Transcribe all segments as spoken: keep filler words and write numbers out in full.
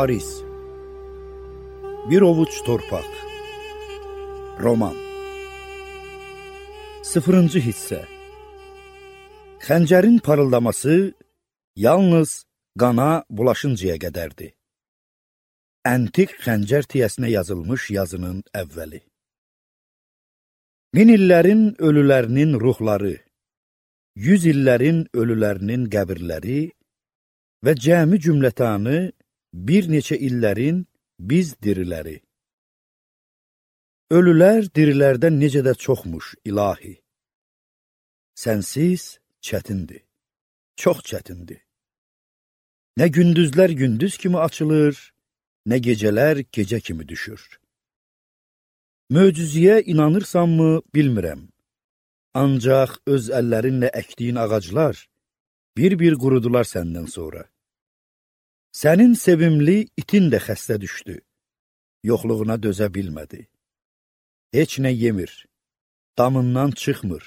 Varis. Bir ovuç torpaq. Roman. Sıfırıncı hissə. Xəncərin parıldaması yalnız qana bulaşıncaya qədərdir. Əntiq xəncər tiyəsinə yazılmış yazının əvvəli. Min illərin ölülərinin ruhları, yüz illərin ölülərinin qəbirləri və cəmi cümlətanı bir neçə illərin biz diriləri. Ölülər dirilərdən necə də çoxmuş, ilahi. Sənsiz çətindir, çox çətindir. Nə gündüzlər gündüz kimi açılır, nə gecələr gecə kimi düşür. Möcüzəyə inanırsanmı, bilmirəm. Ancaq öz əllərinlə əkdiyin ağaclar bir-bir qurudular səndən sonra. Sənin sevimli itin də xəstə düşdü, yoxluğuna dözə bilmədi. Heç nə yemir, damından çıxmır,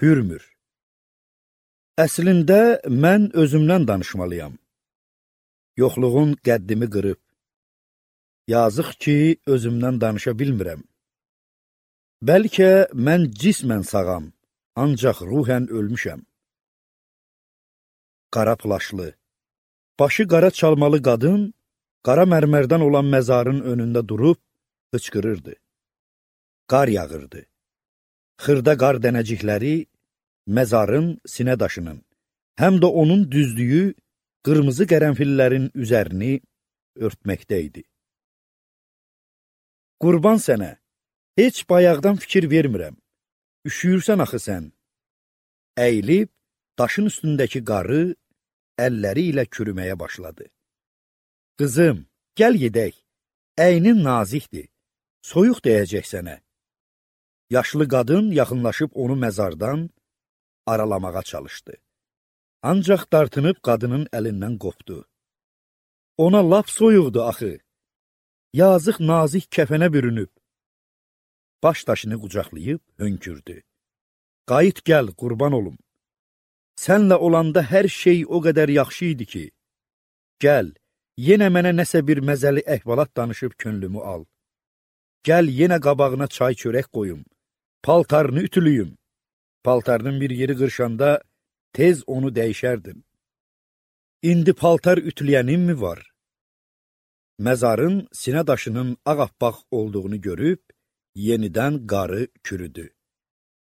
hürmür. Əslində, mən özümdən danışmalıyam. Yoxluğun qəddimi qırıb. Yazıq ki, özümdən danışa bilmirəm. Bəlkə mən cismən sağam, ancaq ruhən ölmüşəm. Qara plaşlı, başı qara çalmalı qadın, qara mərmərdən olan məzarın önündə durub, hıçqırırdı. Qar yağırdı. Xırda qar dənəcikləri məzarın sinə daşının, həm də onun düzdüyü qırmızı qərənfillərin üzərini örtməkdə idi. Qurban sənə, heç bayaqdan fikir vermirəm. Üşüyürsən axı sən. Əyilib, daşın üstündəki qarı əlləri ilə kürüməyə başladı. Qızım, gəl gedək. Əynin nazikdir. Soyuq dəyəcək sənə. Yaşlı qadın yaxınlaşıb onu məzardan aralamağa çalışdı. Ancaq dartınıb qadının əlindən qopdu. Ona lap soyuqdu axı. Yazıq nazik kəfənə bürünüb. Baş daşını qucaqlayıb hönkürdü. Qayıt gəl, qurban olum. Sənlə olanda hər şey o qədər yaxşı idi ki, gəl, yenə mənə nəsə bir məzəli əhvalat danışıb könlümü al. Gəl, yenə qabağına çay çörək qoyum, paltarını ütülüyüm. Paltarının bir yeri qırşanda tez onu dəyişərdin. İndi paltar ütüləyənin mi var? Məzarın sinə daşının ağappaq olduğunu görüb, yenidən qarı kürüdü.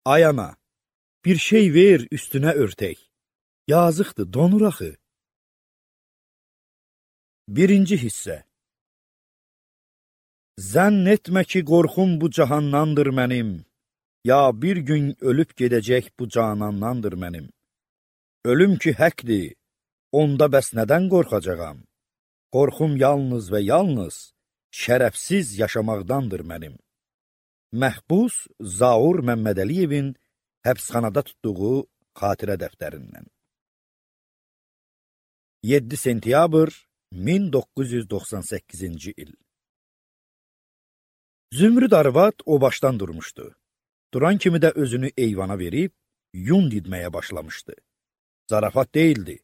Ay ana! Bir şey ver, üstünə örtək. Yazıqdır, donur axı. Birinci hissə. Zənn etmə ki, qorxum bu cahandandır mənim. Ya bir gün ölüb gedəcək bu canandandır mənim. Ölüm ki, həqdir, onda bəs nədən qorxacağam? Qorxum yalnız və yalnız şərəfsiz yaşamaqdandır mənim. Məhbus Zaur Məmmədəliyevin həbsxanada tutduğu xatirə dəftərindən. yeddi sentyabr min doqquz yüz doxsan səkkizinci il. Zümrüd arvad o başdan durmuşdu. Duran kimi də özünü eyvana verib, yun didməyə başlamışdı. Zarafat deyildi.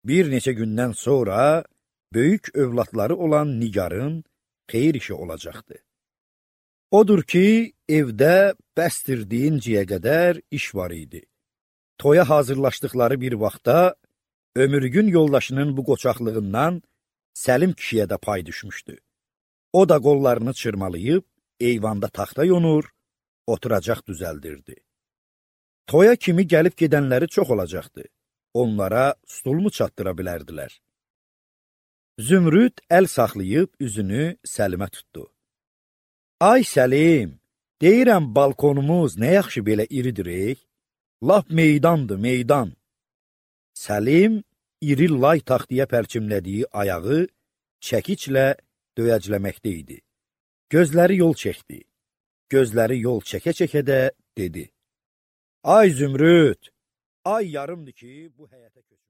Bir neçə gündən sonra böyük övladları olan Nigarın xeyir işi olacaqdı. Odur ki, evdə bəstir deyincəyə qədər iş var idi. Toya hazırlaşdıqları bir vaxtda ömürgün yoldaşının bu qoçaqlığından Səlim kişiyə də pay düşmüşdü. O da qollarını çırmalayıb, eyvanda taxta yonur, oturacaq düzəldirdi. Toya kimi gəlib gedənləri çox olacaqdı. Onlara stulmu çatdıra bilərdilər. Zümrüd əl saxlayıb üzünü Səlimə tutdu. Ay Səlim, deyirəm balkonumuz nə yaxşı belə iridirək? Lap meydandır, meydan. Səlim, iri lay taxtıya pərçimlədiyi ayağı çəkiçlə döyəcləməkdə idi. Gözləri yol çəkdi. Gözləri yol çəkə-çəkə də dedi. Ay Zümrüd, ay yarımdır ki, bu həyətə köçür.